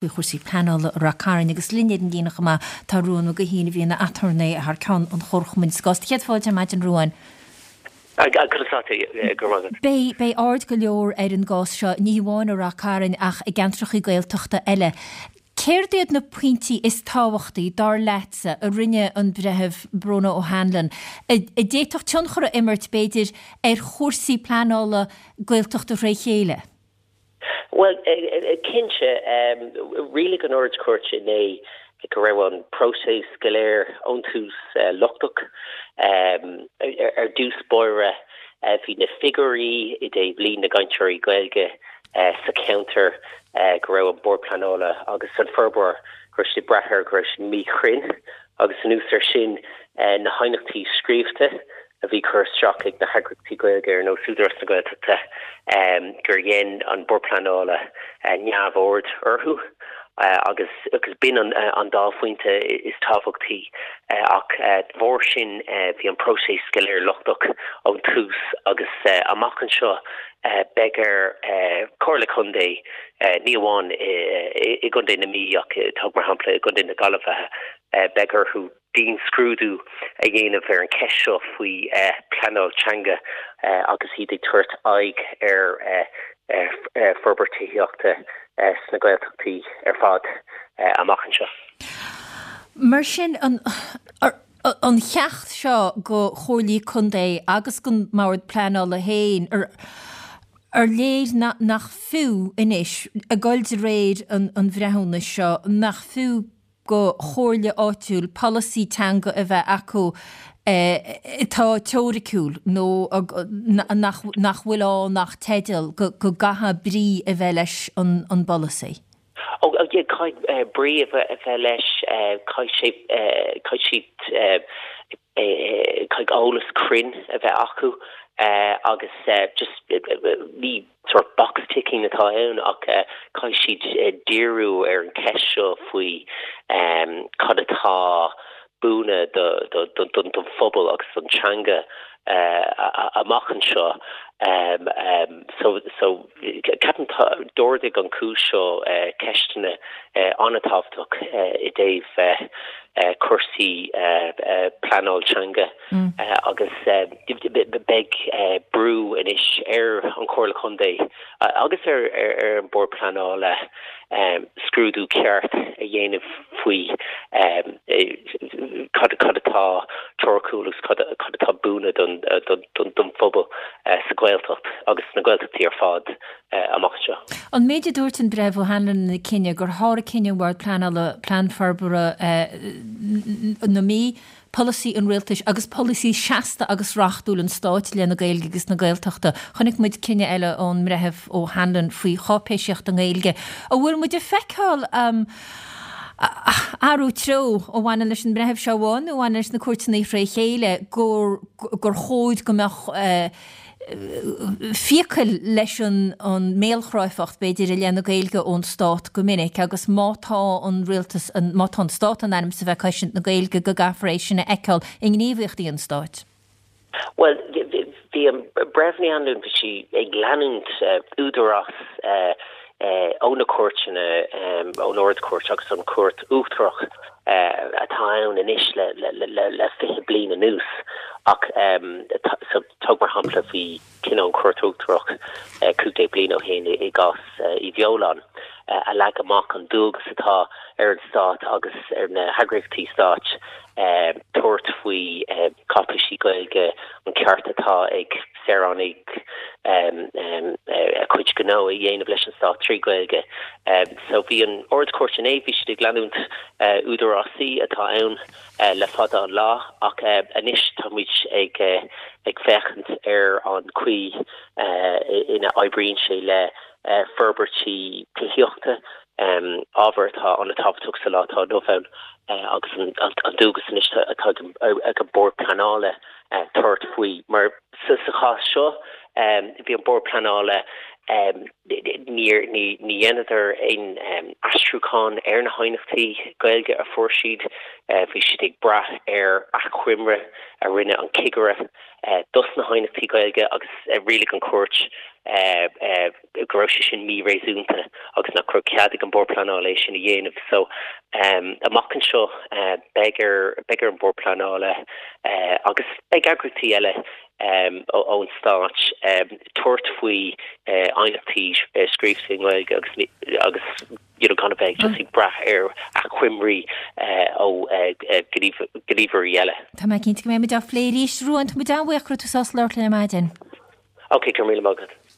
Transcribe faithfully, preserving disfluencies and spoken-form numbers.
Faoi chúrsaí pleanála i Rath Cairn agus linn ar an líne chomh maith tá Ruán Mac Guithín a bhí ina aturnae thar ceann an Chomharchumainn sa gcás. Céad fáilte ar maidin Ruán. Beidh beidh aird go leor ar an gcás seo, ní hamháin i Rath Cairn ach i gceantracha Gaeltachta eile. Céard iad na pointí is tábhachtaí, dar leatsa, a rinne an Breitheamh Bronagh O'Hanlon, a d'fhéadfadh tionchar a imirt, b'fhéidir, ar chúrsaí pleanála Gaeltachta fré chéile? Bhuel, cinnte, rialaigh an Ard-Chúirt inné go raibh an próiseas go léir ón tús lochtach. Ar dtús báire, bhí na figiúirí i dtaobh líon na gcainteoirí Gaeilge sa cheantar go raibh an Bord Pleanála agus an forbróir, go raibh siad ag brath air, go raibh siad míchruinn agus anuas air sin na haighneachtaí scríofa a bhí curtha isteach ag na heagraíochtaí Gaeilge ar nós Údarás na Gaeltachta gur dhein an Bord Pleanála neamhaird orthu agus agus b'in an an dá phointe is tábhachtaí ach de bharr sin bhí an próiseas go léir lochtach ón tús agus amach anseo beidh ar Chomhairle Contae ní amháin i gContae na Mí ach tóg mar shampla i gContae na Gaillimhe beidh orthu dianscrúdú a dhéanamh ar an cheist seo faoi pleanáil teanga agus iad ag tabhairt aghaidh ar forbairt tithíochta sna Gaeltachtaí ar fad amach anseo. Mar sin, an an cheacht seo go Chomhairlí Contae agus don mBord Pleanála féin, ar léir nach fiú anois, ag dul de réir an bhreithiúnais seo, nach fiú go chomhairle áitiúil polasaí teanga a bheith acu atá teoiriciúil nó nach nach bhfuil ann ach teideal, go gcaithfidh brí a bheith leis an an bpolasaí? Ó yeah, caithfidh brí a bheith leis, caithfidh sé, caithfidh siad, caithfidh eolas cruinn a bheith acu agus just ní sort box ticking atá ann ach caithfidh siad díriú ar an cheist seo faoi cad atá buan don phobal agus don teanga amach anseo. So so ceapaim d'ardaigh an cúis seo ceisteanna an-tábhachtach i dtaobh cúrsaí pleanáil teanga agus beidh brú anois ar an Chomhairle Contae agus ar ar an Bord Pleanála scrúdú ceart a dhéanamh faoi cad cad atá teoiriciúil agus cad cad atá buan don don don phobal sa Ghaeltacht agus sna Gaeltachtaí ar fad amach anseo. An méid a dúirt an Breitheamh O'Hanlon ina cinneadh gur sháraigh cinneadh an Bhoird Pleanála Plean Forbartha na Mí, polasaí an Rialtais agus polasaí seasta agus reachtúil an Stáit i leith na Gaeilge agus na Gaeltachta. Chonaic muid cinneadh eile ón mBreitheamh O'Hanlon faoi cháipéisíocht i nGaeilge. An bhfuil muid ag feiceáil athrú treo a bhaineann leis an mBreitheamh seo amháin nó a bhaineann leis na cúirteanna fré chéile gur gur chóir go mbeadh fiacail leis an an mbéalchráifeacht, b'fhéidir, i leith na Gaeilge ón Stát go minic agus má tá an rialtas, má tá an Stát in ainm is a bheith ag cosaint na Gaeilge go gcaithfear é sin a fheiceáil i ngníomhaíochtaí an Stáit. Bhuel, bhí an Breitheamh Ní Anluain, bhí sí ag leanúint údarás ó na cúirteanna, ón Ard-Chúirt agus an Chúirt Uachtarach atá ann anois le fiche bliain anuas ach so tóg mar shampla bhí cinneadh ón Chúirt Uachtarach cúig déag bliain ó shin i gcás Uí Bheoláin a leag amach an dualgas atá ar an stát agus ar na heagraíochtaí stáit tabhairt faoi cáipéisí Gaeilge, an ceart atá ag saoránaigh a gcuid gnó a dhéanamh leis an stát trí Ghaeilge. So bhí an Ard-Chúirt inné, bhí siad ag leanúint údarásaí atá ann le fada an lá ach anois táimid ag ag féachaint ar an chaoi ina oibríonn sé le forbairtí tithíochta, ábhar atá an-tábhachtach sa lá atá inniu ann agus an dualgas anois atá ag an Bord Pleanála tabhairt faoi. Mar sa chás seo bhí an Bord Pleanála níor ní dheineadar aon aistriúchán ar na haighneachtaí Gaeilge a fuair siad, bhí siad ag brath ar achoimre a rinne an cigire dos na haighneachtaí Gaeilge agus rialaigh an chúirt Go raibh sé sin míréasúnta agus nach raibh cead ag an Bord Pleanála é sin a dhéanamh so um, amach anseo uh, beidh ar beidh ar an Bord Pleanála uh, agus beidh eagraíochtaí eile um, ón stát um, tabhairt faoi uh, aighneachtaí uh, scríofa i nGaeilge agus agus you know, gan a bheith just ag brath ar achoimrí ó gníomhairí eile. Tá mé cinnte go mbeidh muid á phlé arís Ruán tá muid an-bhuíoch tú sás leir le maidin. Ok, go míle maith agat.